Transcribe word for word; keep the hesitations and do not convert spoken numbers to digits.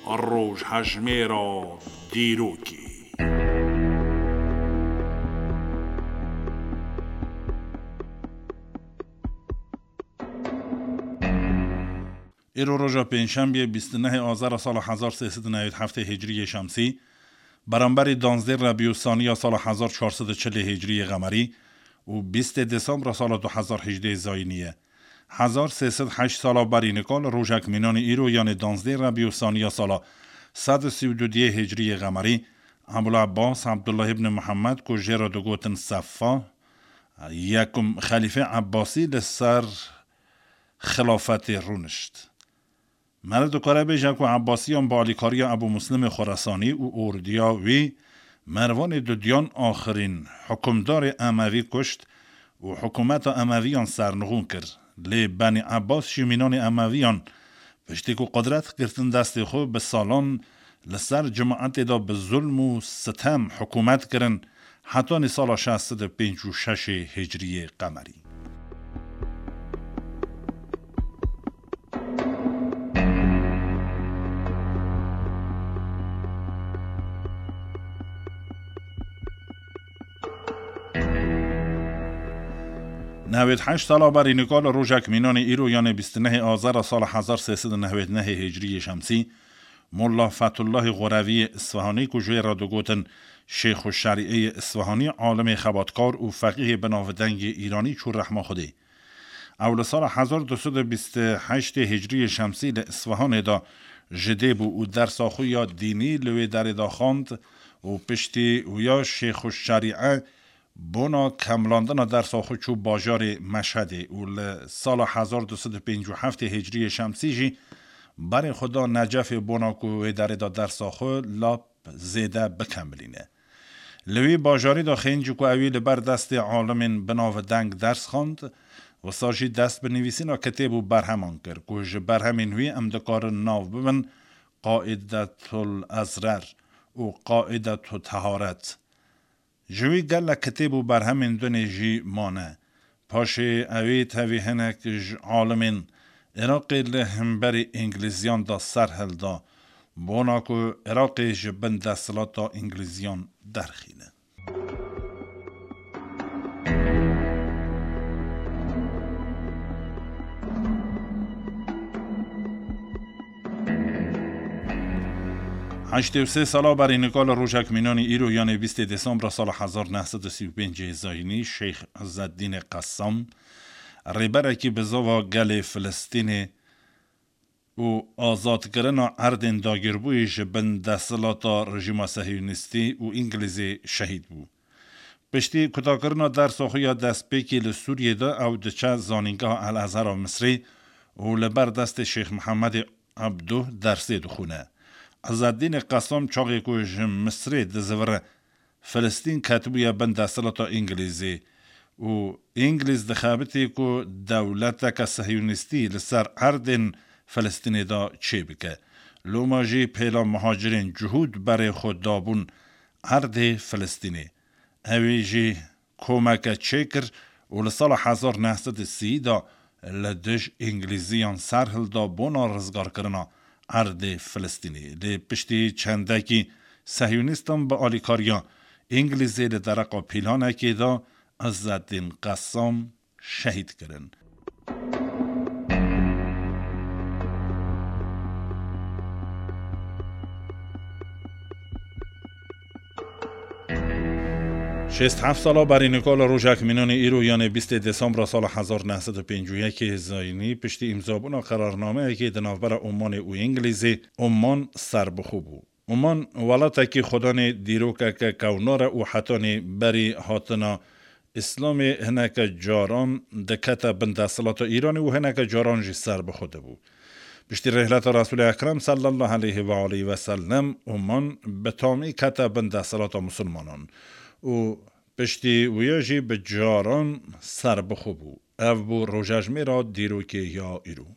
Rojhejmêra dîrokê. Îro roja pêncşembiyê, bîst û nehê Azara sala hezar sê sed û newêd heftê Hicriyê Şemsî, beramberî danzdê Rebî û Saniya sala hezar çar sed û çilê Hicriyê Qemerî û bîstê Desembra sala du hezar hejdê Zayînî ye. Hezar sê sed heşt sala berî nika li rojek mînanî îro, yanê danzdê Rebî û Saniya sala sed û sî û du diyê Hicriyê Qemerî, Ebul Ebbas Ebdullah ibn Muhammed, ku jê re digotin Seffa, yekum xelîfê Ebbasî, li ser xilafetê rûnişt. Meriv dikare bêje ku Ebbasiyan bi alîkariya Ebû Muslimê Xoresanî û ordiya wî Mervanê Dudiyan axirîn hukimdarê Emevî kuşt û hikûmeta Emeviyan sernixûn kir. Lê Benî Ebbas jî mînanê Emeviyan, piştî ku qudret girtin destê xwe, bi salan li ser cimaetê de bi zulm û sitem hikûmet kirin, hetanî sala şeş sed û pêncî û şeşê Hicriyê Qemerî. Newêd heşt sala berî nika li rojek mînanê îro, yanê bîst û nehê Azara sala hezar sê sed û newêd nehê Hicriyê Şemsî, Molla Fetullahê Xoreviyê Isfahanî, ku jê re digotin Şêxu Şerîeyê Isfahanî, alimê xebatkar û feqîhê binavdengê Îranî, çû rehma Xwedê. Ew li sala hezar du sed û bîst û heştê Hicriyê Şemsî li Isfahanê de ji dê bû û dersa xwe ya dînî li wê derê de xwend û piştî wîya Şêxu Şerîe bona kemlandina dersa xwe çû bajarê Meşhedê û li sala hezar du sed û pêncî û heftê Hicriyê Şemsî jî berê xwe da Necefê bona ku wê derê de dersa xwe lap zêde bikemilîne. Li wî bajarî de xêncî ku ewî li ber destê alimên binavdeng ders xwend, wisa jî dest bi nivîsîna kitêb û berheman kir ku ji berhemên wî em dikarin nav bibin Qaidetul Ezrer û Qaidetu Teharet. Ji wî gelek kitêb û berhemên dinê jî mane. Paşê ewî tevî hinek ji alimên Iraqê li hemberî Îngilîziyan de ser hilda, bona ku Iraqê ji bin desthilata Îngilîziyan derxîne. Heştê û sê sala berî nika li rojek mînanî îro, yanê bîstê Desembra sala hezar neh sed û sî û pêncê Zayînî, Şeyh Izzeddînê Qessam, rêberekî bizava gelê Filistînê û azadkirina erdên dagirbûyî ji bin desthilata rejîma Sehyonîstî û Îngilîzê şehîd bû. Piştî kutakirina dersa xwe ya destpêkê li Sûriyê de ew diçe Zanîngeha El Ezhera Misrê û li ber destê Şêx Mihemedê Ebdo dersê dixwîne. Izzeddînê Qesam çaxê ku ji Misrê dizivire, Filistîn ketibûye bin desthilata Îngilîzê û Îngilîz dixebitî ku dewleteke Sehyonîstî li ser erdên Filistînê de çêbike. Loma jî pêla muhacirên cihûd berê xwe dabûn erdê Filistînê. Ewî jî komeke çêkir û li sala hezar neh sed û sî de li dij Îngilîziyan ser hilda bona rizgarkirina erdê Filistînê. Lê piştî çendekî Sehyonîstan bi alîkariya Îngilîzê li dereqa pîlanekê de Izzeddîn Qessam şehîd kirin. Şêst heft sala berî nika li rojek mînanê îro, yanê bîstê Desembra sala hezar neh sed û pêncî û yekê Zayînî, piştî îmzabûna qerarnameyekê di navbera Omanê û Îngilîzê, Oman serbixwe bû. Oman welatekî xwedanê dîrokeke kewnar e û hetanî berî hatina Îslamê hineke caran dikete bin desthilata Îranê û hineke caran jî serbixwe dibû. Piştî rêhleta Resûlê Ekrem sallallahu aleyhi ve aleyhi ve sellem, Oman bi tamî kete bin desthilata Musulmanan û piştî wîya jî bi caran serbixwe bû. Ev bû rojejmêra dîrokê ya îro.